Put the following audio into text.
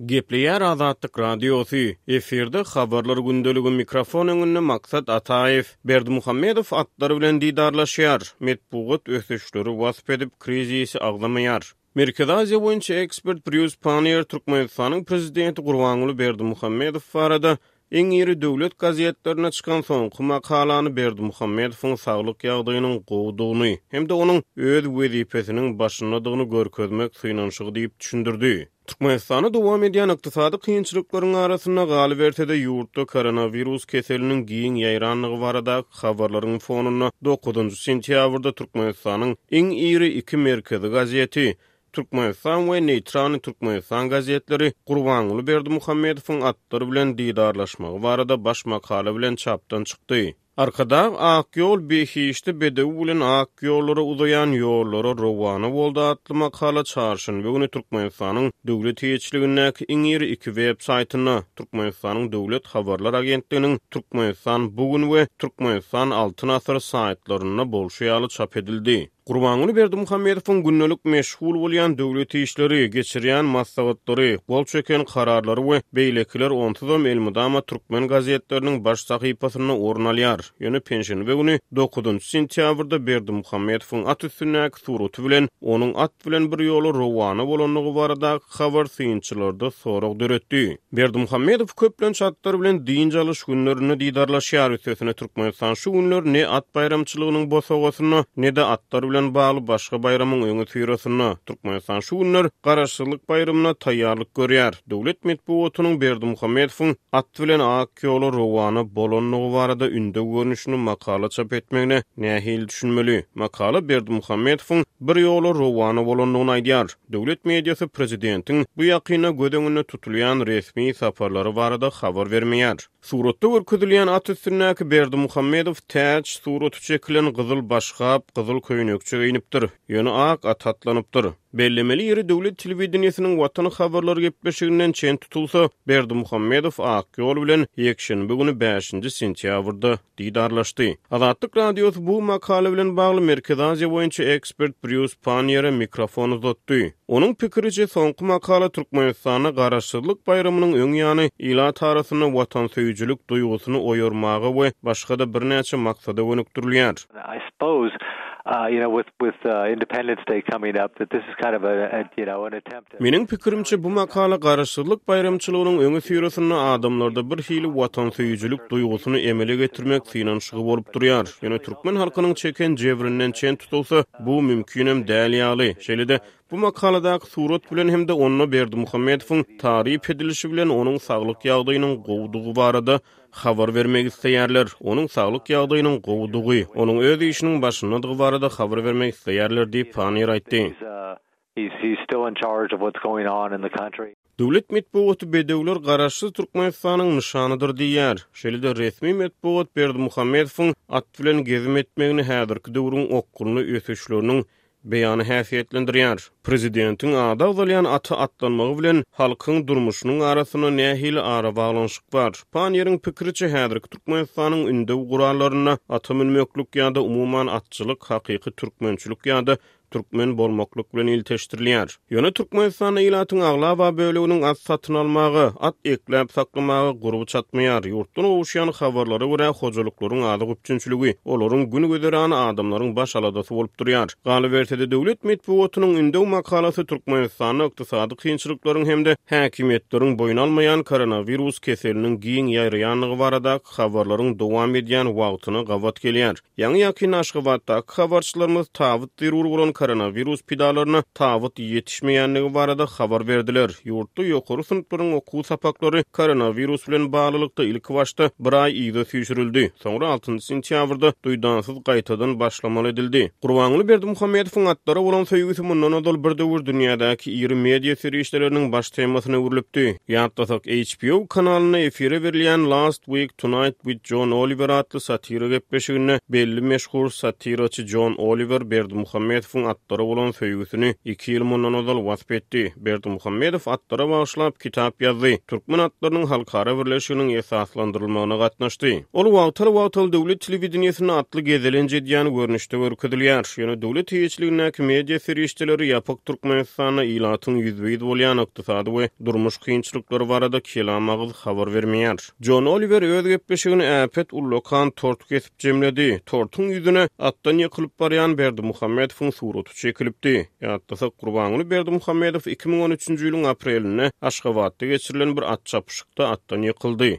Gepleýär Azatlyk Radiosy, efirde Habarlar gündeligi mikrofon öňünde Maksat Ataýew. Berdimuhamedow atlar bilen didarlaşýar, metbugat ösüşleri wasp edip, krizisi agzamaýar. Merkezi Aziýa boýunça ekspert Brýus Panniýer Türkmenistanyň prezidenti Gurbanguly Berdimuhamedow barada iň iri döwlet gazetlerinde çykan soňky makalany Berdimuhamedowyň saglyk ýagdaýynyň gowudygyny hem-de onuň öz wezipesiniň başyndadygyny görkezmek synanyşygy diýip düşündirdi. Türkmenistanda dowam edýän ykdysady kynçylyklaryň arasynda, galyberse-de, ýurtda koronawirus keseliniň giň ýaýrandygy baradaky habarlaryň fonunda dokuzynjy sentýabrda Türkmenistanyň iň iri iki merkezi gazeti, Türkmenistan we Neýtralnyý Türkmenistan gazetleri Gurbanguly Berdimuhamedowyň atlar bilen didarlaşmagy barada baş makala bilen çapdan çykdy. Arkadag ak ýol behişdi bedew bilen ak ýollara uzaýan ýollara rowana boldy atly makala çarşenbe güni Türkmenistanyň döwlet eýeçiligindäki iň iri iki web saýtynda, Türkmenistanyň Döwlet habarlar agentliginiň Türkmenistan bu gün we Türkmenistan Altyn asyr saýtlarynda bolşy ýaly çap edildi. Gurbanguly Berdimuhamedowyň gündelik meşgul bolýan döwlet işleri, geçirýän maslahatlary, gol çeken kararlary we beýlekiler onsuzam elmydama türkmen gazetleriniň baş sahypasynda orun alýar. Ýöne penşenbe güni, dokuzynjy sentýabrda Berdimuhamedowyň at üstündäki suraty bilen onuň at bilen bir ýola rowana bolandygy baradaky habar synçylarda sorag döretdi. Berdimuhamedow köplenç atlar bilen dynç alyş günlerinde didarlaşýar, üstesine Türkmenistan şu günler ne at baýramçylygynyň bosagasynda, ne-de atlar bilen bagly başga baýramyň öňüsyrasynda. Türkmenistan şu günler Garaşsyzlyk baýramyna taýýarlyk görýär. Döwlet metbugatynyň Berdimuhamedowyň at bilen ak ýola rowana bolandygy barada ündew görnüşinde makala çap etmegine nähili düşünmeli? Makala Berdimuhamedowyň bir ýola rowana bolandygyny aýdýar. Döwlet mediasy prezidentiň bu ýakynda göz öňünde tutulýan resmi saparlary barada habar bermeýär. Suratda görkezilýän at üstündäki Berdimuhamedow täç suraty çekilen gyzyl başgap, gyzyl köýnekçe geýnipdir, ýöne ak ata atlanypdyr. Bellemeli ýeri, döwlet telewideniýesiniň Watan habarlary gepleşiginden çen tutulsa, Berdimuhamedow ak ýol bilen ýekşenbe güni bäşinji sentýabrda didarlaşdy. Azatlyk Radiosy bu makala bilen bagly Merkezi Aziýa boýunça ekspert Brýus Panniýere mikrofon uzatdy. Onuň pikiriçe, soňky makala Türkmenistanda Garaşsyzlyk baýramynyň öň ýany ilat arasynda watansöýüjilik duýgusyny oýarmaga we başga-da birnäçe maksada gönükdirilýär. I suppose, you know, with with Independence Day coming up, that this is kind of a, you know, an attempt. Meniň pikirimçe, bu makala Garaşsyzlyk baýramçylygynyň öňüsyrasynda adamlarda bir hili watansöýüjilik duýgusyny emele getirmek synanyşygy bolup durýar. Ýöne türkmen halkynyň çeken jebrinden çen tutulsa, bu mümkinem däl ýaly. Şeýle-de, bu makaladaky surat bilen hem-de onda Berdimuhamedowyň taryp edilişi bilen onuň saglyk ýagdaýynyň gowudygy barada habar bermek isleýärler. Onuň saglyk ýagdaýynyň gowudygy, onuň öz işiniň başyndadygy barada habar bermek isleýärler diýip, Panniýer aýtdy. Döwlet metbugaty bedewler Garaşsyz Türkmenistanyň nyşanydyr diýýär. Şeýle-de resmi metbugat Berdimuhamedowyň at bilen gezim etmegini häzirki döwrüň okgunly ösüşleriniň beýany häsiýetlendirýär. Prezidentiň ady agzalýan ata atlanmagy bilen halkyň durmuşynyň arasynda nähili arabaglanyşyk bar? Panniýeriň pikiriçe, häzirki Türkmenistanyň ündew gurallarynda ata münmeklik ýa-da umuman atçylyk hakyky türkmençilik ýa-da türkmen bolmaklyk bilen ilteşdirilýär. Ýöne Türkmenistanda ilatyň aglaba böleginiň at satyn almaga, at ekläp saklamaga gurby çatmaýar. Ýurtdan gowuşýan habarlara görä, hojalyklaryň azyk üpjünçiligi, olaryň gün-güzerany adamlaryň baş aladasy bolup durýar. Galyberse-de, döwlet metbugatynyň ündew makalasy Türkmenistanda ykdysady kynçylyklaryň hem-de häkimiýetleriň boýun almaýan koronawirus keseliniň giň ýaýraýandygy baradaky habarlaryň dowam edýän wagtyna gabat gelýär. Ýaňy-ýakynda Aşgabatdaky habarçylarymyz tabyt zerur bolan koronawirus pidalaryna tabyt ýetişmeýändigi barada habar berdiler. Ýurtda ýokary synplaryň okuw sapaklary koronawirus bilen baglylykda ilkibaşda bir aý yza süýşürildi, soňra altynjy sentýabrda duýdansyz gaýtadan başlamaly edildi. Gurbanguly Berdimuhamedowyň atlara bolan söýgüsi mundan ozal bir döwür dünýädäki iri media serişdeleriniň baş temasyna öwrülipdi. Ýatlasak, HBO kanalynda efire berilýän Last Week Tonight with John Oliver atly satira gepleşiginde belli meşhur satiraçy Jon Oliwer Berdimuhamedowyň. atlara bolan söýgüsini iki ýyl mundan ozal wasp etdi. Berdimuhamedow atlara bagyşlap kitap ýazdy, Türkmen atlarynyň halkara birleşiginiň esaslandyrylmagyna gatnaşdy. Ol wagtal-wagtal döwlet telewideniýesinde atly gezelenç edýän görnüşde görkezilýär. Ýöne döwlet eýeçiligindäki media serişdeleri ýapyk Türkmenistanda ilatyň ýüzbe-ýüz bolýan ykdysady we durmuş kynçylyklary barada kelam agyz habar bermeýär. Jon Oliwer öz gepleşigini äpet ullakan tort kesip jemledi. Tortuň ýüzüne atdan ýykylyp barýan Berdimuhamedowyň suraty çekilipdi. Ýatlasak, Gurbanguly Berdimuhamedow 2013-nji ýylyň aprelinde Aşgabatda geçirilen bir at çapyşykda atdan ýykyldy.